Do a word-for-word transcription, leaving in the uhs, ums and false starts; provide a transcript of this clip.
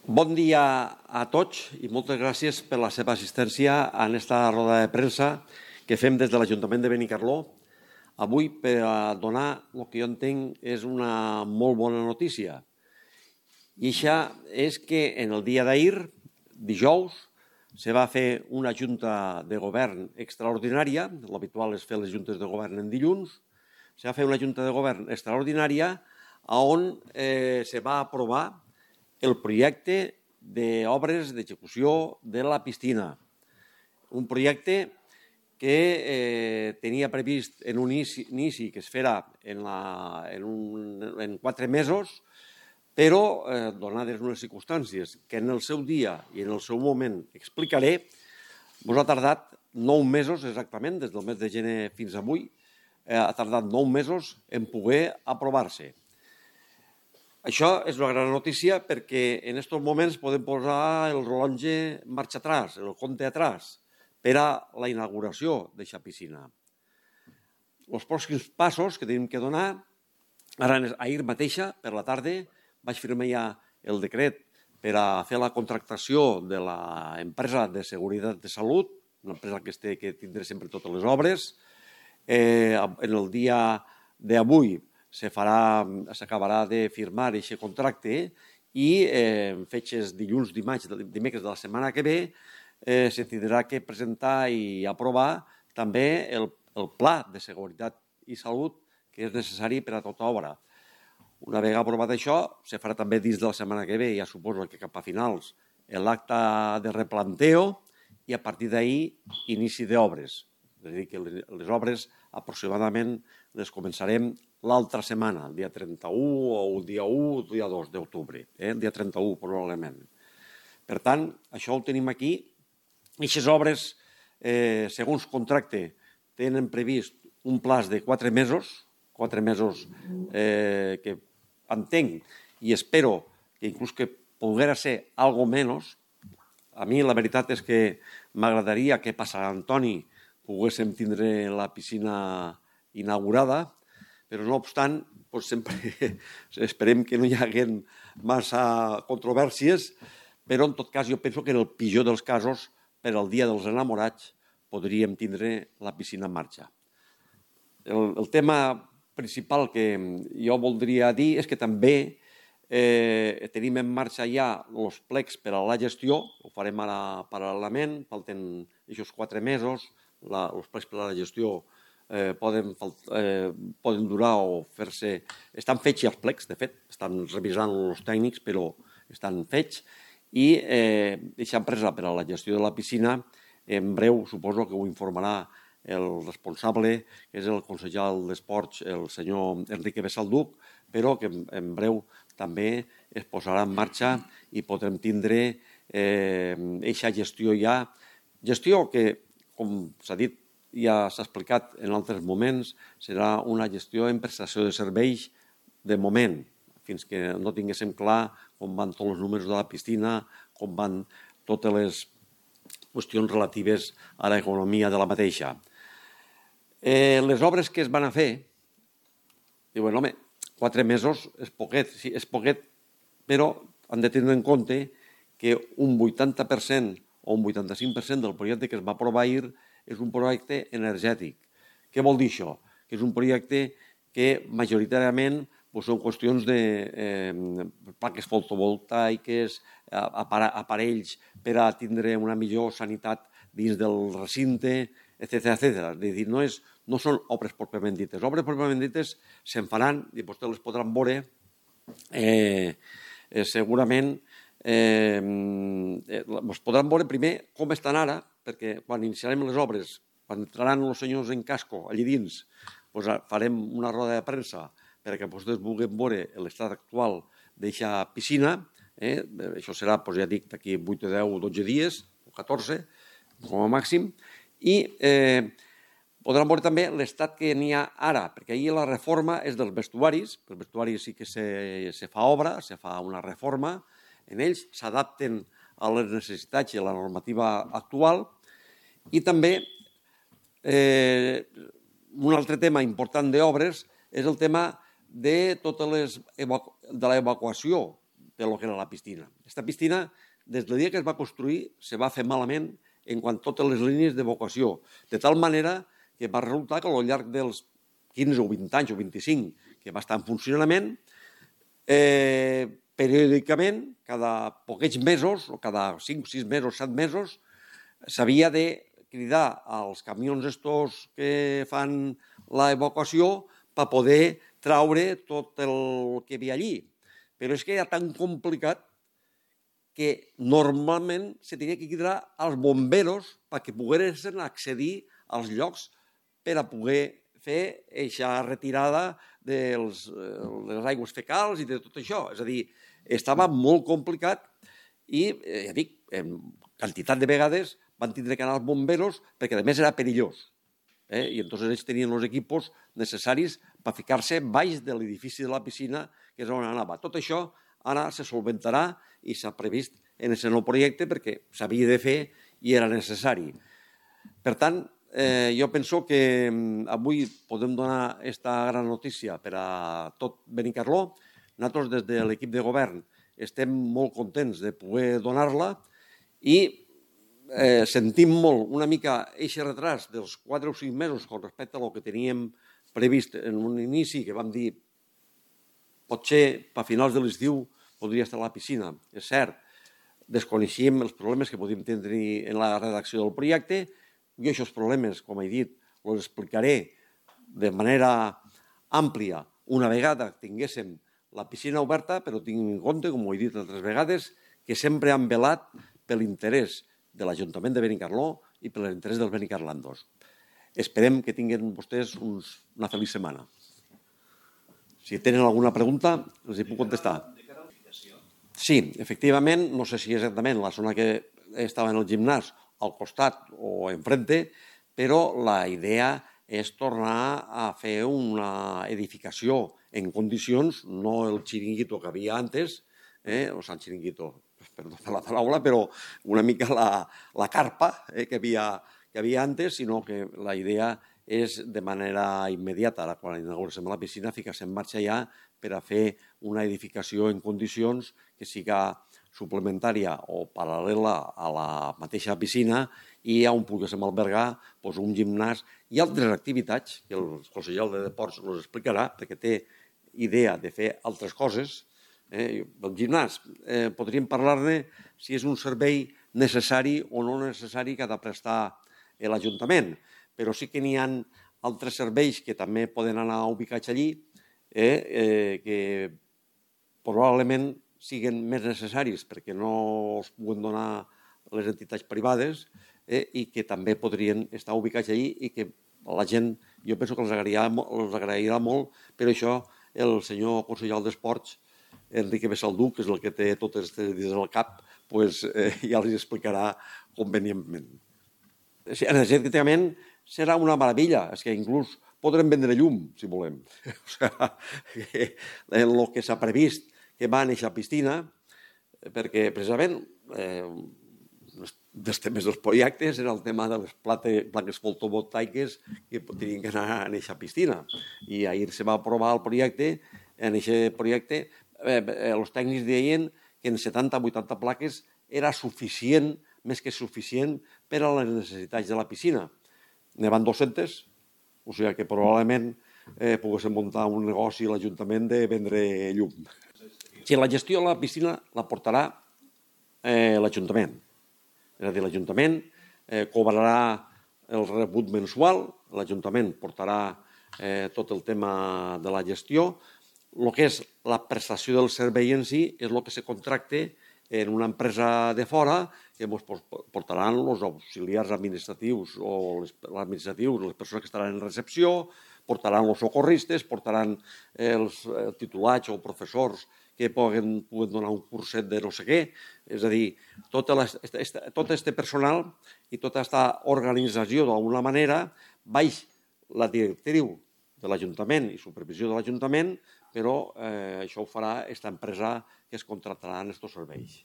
Bon dia a tots i moltes gràcies per la seva assistència en aquesta roda de premsa que fem des de l'Ajuntament de Benicarló. Avui, per a donar el que jo entenc és una molt bona notícia. I això és que en el dia d'ahir, dijous, se va fer una junta de govern extraordinària, l'habitual és fer les juntes de govern en dilluns, se va fer una junta de govern extraordinària on eh, se va aprovar el projecte d'obres d'execució de la piscina. Un projecte que eh, tenia previst en un inici, inici que es farà en, la, en, un, en quatre mesos, però, eh, donades unes circumstàncies que en el seu dia i en el seu moment explicaré, ens ha tardat nou mesos exactament, des del mes de gener fins avui, eh, ha tardat nou mesos en poder aprovar-se. Això és una gran notícia perquè en aquests moments podem posar el rellotge en marxa atrás, el compte atrás, per a la inauguració d'aquesta piscina. Els pròxims passos que tenim que donar, ara ahir mateixa, per la tarda, vaig firmar ja el decret per a fer la contractació de l'empresa de seguretat de salut, una empresa que, este, que tindrà sempre totes les obres. Eh, en el dia d'avui s'acabarà de firmar aquest contracte i eh, en fetges dilluns, dimarts, dimecres de la setmana que ve eh, se tindrà que presentar i aprovar també el, el pla de seguretat i salut que és necessari per a tota obra. Una vegada aprovat això, se farà també dins de la setmana que ve, ja suposo que cap a finals, l'acte de replanteo i a partir d'ahir inici d'obres. És a dir, que les obres aproximadament les començarem l'altra setmana, el dia trenta-u o el dia u o el dia dos d'octubre, eh? el dia trenta-u probablement. Per tant, això ho tenim aquí. Aquestes obres, eh, segons contracte, tenen previst un plaç de quatre mesos, quatre mesos eh, que entenc i espero que inclús que poguera ser algo menys. A mi la veritat és que m'agradaria que per Sant Antoni poguéssim tindre la piscina inaugurada, però no obstant, doncs sempre esperem que no hi hagi massa controvèrsies, però en tot cas jo penso que en el pitjor dels casos, per al dia dels enamorats, podríem tindre la piscina en marxa. El, el tema principal que jo voldria dir és que també eh, tenim en marxa ja els plecs per a la gestió, ho farem ara paral·lelament, falten aquests quatre mesos, la, els plecs per a la gestió eh, poden, eh, poden durar o fer-se... Estan fets ja els plecs, de fet, estan revisant els tècnics, però estan fets, i eh, aquesta empresa per a la gestió de la piscina, en breu suposo que ho informarà el responsable, que és el consellal d'Esports, el senyor Enrique Besalduc, però que en breu també es posarà en marxa i podrem tindre aquesta eh, gestió ja. Gestió que, com s'ha dit, ja s'ha explicat en altres moments, serà una gestió en prestació de serveis de moment, fins que no tinguéssim clar com van tots els números de la piscina, com van totes les qüestions relatives a l'economia de la mateixa. Eh, les obres que es van a fer, diuen, home, quatre mesos és poquet, sí, és poquet, però han de tenir en compte que un vuitanta per cent o un vuitanta-cinc per cent del projecte que es va aprovar ahir és un projecte energètic. Què vol dir això? Que és un projecte que majoritàriament doncs, són qüestions de eh, plaques fotovoltaiques, aparells per a tindre una millor sanitat dins del recinte, etcètera, etcètera. És a dir, no, és, no són obres pròpiament dites. Obres pròpiament dites se'n faran i vostès les podran veure eh, eh, segurament eh, es podran veure primer com estan ara, perquè quan iniciarem les obres, quan entraran els senyors en casco allà dins, doncs farem una roda de premsa perquè vostès vulguin veure l'estat actual d'aquesta piscina. Eh? Això serà, doncs ja dic, d'aquí vuit, deu o dotze dies, o catorze, com a màxim, i eh, podran veure també l'estat que n'hi ha ara, perquè ahir la reforma és dels vestuaris, els vestuaris sí que se, se fa obra, se fa una reforma, en ells s'adapten a les necessitats i a la normativa actual, i també eh, un altre tema important d'obres és el tema de totes les de l'evacuació per lo que era la piscina. Aquesta piscina, des del dia que es va construir, se va fer malament en quant a totes les línies d'evacuació, de tal manera que va resultar que al llarg dels quinze o vint anys o vint-i-cinc que va estar en funcionament, eh, periòdicament, cada poquets mesos, o cada cinc, sis mesos, set mesos, s'havia de cridar als camions estos que fan l'evacuació per poder traure tot el que hi havia allí. Però és que era tan complicat que normalment se tenia que cridar als bomberos perquè poguessin accedir als llocs per a poder fer aquesta retirada de les aigües fecals i de tot això. És a dir, estava molt complicat i, ja dic, en quantitat de vegades van tindre que anar als bomberos perquè, a més, era perillós. I llavors ells tenien els equipos necessaris per ficar-se baix de l'edifici de la piscina, que és on anava. Tot això ara se solventarà i s'ha previst en aquest nou projecte perquè s'havia de fer i era necessari. Per tant, jo penso que avui podem donar aquesta gran notícia per a tot Benicarló. Nosaltres, des de l'equip de govern, estem molt contents de poder donar-la i sentim molt una mica aquest retras dels quatre o cinc mesos con respecte a lo que teníem previst en un inici, que vam dir potser a finals de l'estiu podria estar a la piscina. És cert, desconeixíem els problemes que podíem tenir en la redacció del projecte. Jo aquests problemes, com he dit, els explicaré de manera àmplia una vegada tinguéssim la piscina oberta, però tinguin en compte, com ho he dit altres vegades, que sempre han velat per l'interès de l'Ajuntament de Benicarló i per l'interès dels benicarlandos. Esperem que tinguin vostès una feliç setmana. Si tenen alguna pregunta, els hi puc contestar. Sí, efectivament, no sé si exactament la zona que estava en el gimnàs, al costat o enfrente, però la idea és tornar a fer una edificació en condicions, no el xiringuito que havia antes, o sigui, el xiringuito, perdó per la paraula, però una mica la carpa que havia antes, sinó que la idea és de manera immediata, quan inaugurem la piscina, ficar-se en marxa ja per a fer una edificació en condicions que siga suplementària o paral·lela a la mateixa piscina i on poguéssim albergar un gimnàs i altres activitats que el conseller de Deports ens explicarà, perquè té idea de fer altres coses. El gimnàs, podríem parlar-ne si és un servei necessari o no necessari que ha de prestar l'Ajuntament, però sí que n'hi ha altres serveis que també poden anar ubicats allí que probablement siguin més necessaris perquè no els puguen donar les entitats privades i que també podrien estar ubicats allí i que la gent, jo penso que els agrairà molt, però això el senyor conseller d'Esports, Enrique Besaldú, que és el que té totes aquestes idees al cap, ja els explicarà convenientment. Energèticament serà una meravella, és que inclús podrem vendre llum, si volem. El que s'ha previst que va en aquesta piscina, perquè precisament dels temes dels projectes era el tema de les plaques fotovoltaiques que tenien que anar en aquesta piscina. I ahir se va aprovar el projecte, en aquest projecte els tècnics deien que en setanta o vuitanta plaques era suficient, més que suficient, per a les necessitats de la piscina. Ne van dues-centes, o sigui que probablement poguéssim muntar un negoci a l'Ajuntament de vendre llum. Si la gestió de la piscina la portarà l'Ajuntament. És a dir, l'Ajuntament cobrarà el rebut mensual, l'Ajuntament portarà tot el tema de la gestió. El que és la prestació del servei en si és el que se contracta en una empresa de fora que ens portaran els auxiliars administratius o administratius, les persones que estaran en recepció, portaran els socorristes, portaran els titulats o professors que poden donar un curset de no sé què. És a dir, tot aquest personal i tota aquesta organització d'alguna manera baix la directriu de l'Ajuntament i supervisió de l'Ajuntament, però això ho farà aquesta empresa que es contractarà en aquests serveis.